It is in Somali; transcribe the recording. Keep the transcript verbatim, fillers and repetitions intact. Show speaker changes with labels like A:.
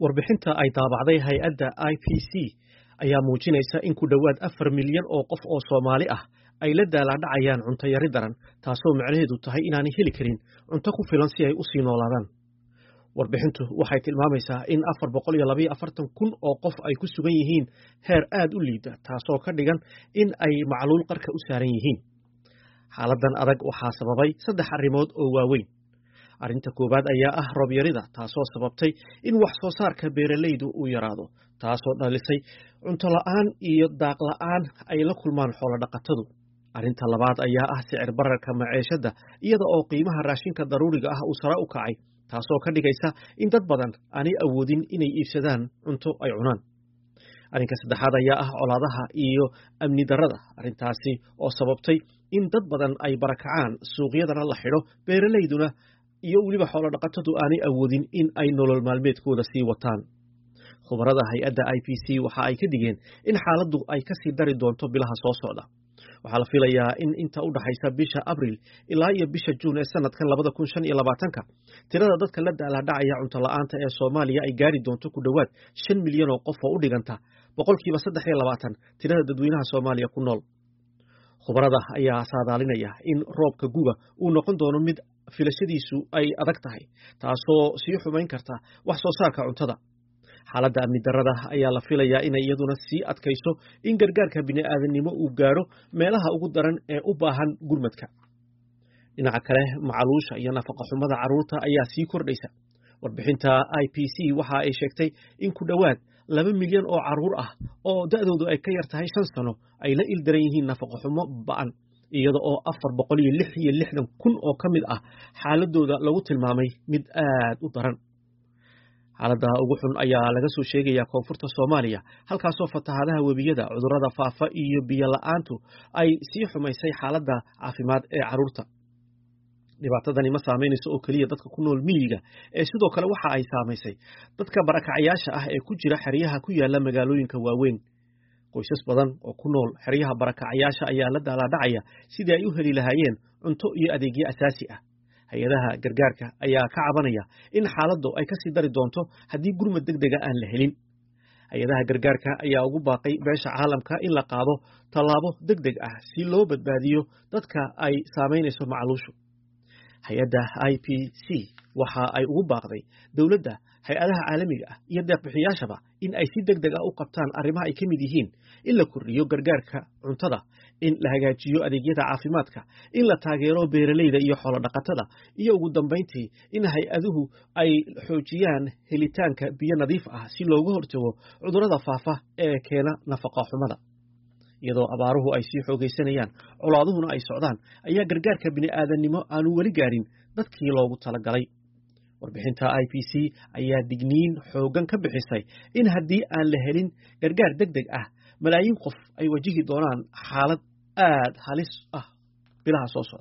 A: Warbixinta ay daabacday hay'adda I P C ayaa muujinaysa in ku dhowaad afar milyan oo qof oo Soomaali ah ay la daalaa dhacayaan cunto yari daran, taasoo macnaheedu tahay inaanay heli karin cunto ku filan si ay u sii noolaadaan. Warbixintu waxay tilmaamaysaa in afar boqol iyo laba iyo afartan kun oo qof ay ku sugan yihiin heer aad u liita, taasoo ka dhigan in ay macluul qarka u saaran yihiin. Xaaladan adag waxaa sababay saddex arrimood oo waaweyn. Arrinta koowaad ayaa ah roob yarida, taasoo sababtay in wax soo saarka beeralaydu uu yaraado, taasoo dhalisay cunto la'aan iyo daaq la'aan ay la kulmaan xoolo dhaqatadu. Arrinta labaad ayaa ah sicir bararka maceeshada, iyada oo qiimaha raashinka daruuriga ah uu sare u kacay, taasoo ka dhigaysa in dad badan aanay awoodin inay iibsadaan cunto ay cunaan. Arrinka saddexaad ayaa ah colaadaha iyo amni darrada, arrintaasi oo sababtay in dad badan ay barakacaan, suuqyadana la xidho, beeralayduna iyo weliba xoolo dhaqatadu aanay awoodin in ay nolol maalmeedkooda sii wataan. Khubarada hay'adda I P C waxa ay ka digeen in xaaladdu ay kasii dari doonto bilaha soo socda. Waxaa la filayaa in inta u dhaxaysa bisha Abril ilaa iyo bisha Juun ee sanadkan labada kun shan iyo labaatanka, tirada dadka la daalaa dhacaya cunto la'aanta ee Soomaaliya ay gaari doonto ku dhowaad shan milyan oo qof, oo u dhiganta boqolkiiba saddex iyo labaatan tirada dadweynaha Soomaaliya ku nool. Khubarada ayaa saadaalinaya in roobka guga uu noqon doono mid filashadiisu ay adag tahay, taasoo sii xumayn karta wax soo saarka cuntada. Xaaladda amni darrada ayaa la filayaa inay iyaduna sii adkayso in gargaarka bini'aadannimo uu gaadho meelaha ugu daran ee u baahan gurmadka. Dhinaca kale, macaluusha iyo nafaqa xumada carruurta ayaa sii kordhaysa. Warbixinta I P C waxa ay sheegtay in ku dhowaad laba milyan oo carruur ah oo da'doodu ay ka yar tahay shan sano ay la ildaran yihiin nafaqa xumo ba'an, iyada oo afar boqol iyo lix iyo lixdan kun oo ka mid ah xaaladooda lagu tilmaamay mid aad u daran. Xaaladda ugu xun ayaa laga soo sheegayaa koonfurta Soomaaliya, halkaasoo fatahaadaha webiyada, cudurrada faafa iyo biyo la'aantu ay sii xumaysay xaaladda caafimaad ee carruurta. Dhibaatadani ma saameynayso oo keliya dadka ku nool miyiga, ee sidoo kale waxa ay saamaysay dadka barakacayaasha ah ee ku jira xeryaha ku yaala magaalooyinka waaweyn. Qoysas badan oo ku nool xeryaha barakacayaasha ayaa la daalaadhacaya sidii ay u heli lahaayeen cunto iyo adeegyo asaasi ah. Hay'adaha gargaarka ayaa ka cabanaya in xaaladdu ay kasii dari doonto haddii gurmad deg dega aan la helin. Hay'adaha gargaarka ayaa ugu baaqay beesha caalamka in la qaado tallaabo deg deg ah si loo badbaadiyo dadka ay saamaynayso macluushu. Hay'adda I P C waxa ay ugu baaqday dowladda, hay'adaha caalamiga ah iyo deeqbixiyaashaba in ay si deg deg ah u qabtaan arrimaha ay ka mid yihiin in la kordhiyo gargaarka cuntada, in la hagaajiyo adeegyada caafimaadka, in la taageero beeralayda iyo xoolo dhaqatada, iyo ugu dambayntii in hay'aduhu ay xoojiyaan helitaanka biyo nadiif ah si looga hortago cudurrada faafa ee keena nafaqa xumada. Iyadoo abaaruhu ay sii xoogaysanayaan, colaaduhuna ay socdaan, ayaa gargaarka bini'aadannimo aanu weli gaarin dadkii loogu talagalay. Warbixinta I P C ayaa digniin xooggan ka bixisay in haddii aan la helin gargaar deg deg ah, malaayiin qof ay wajihi doonaan xaalad aad halis ah bilaha soo socda.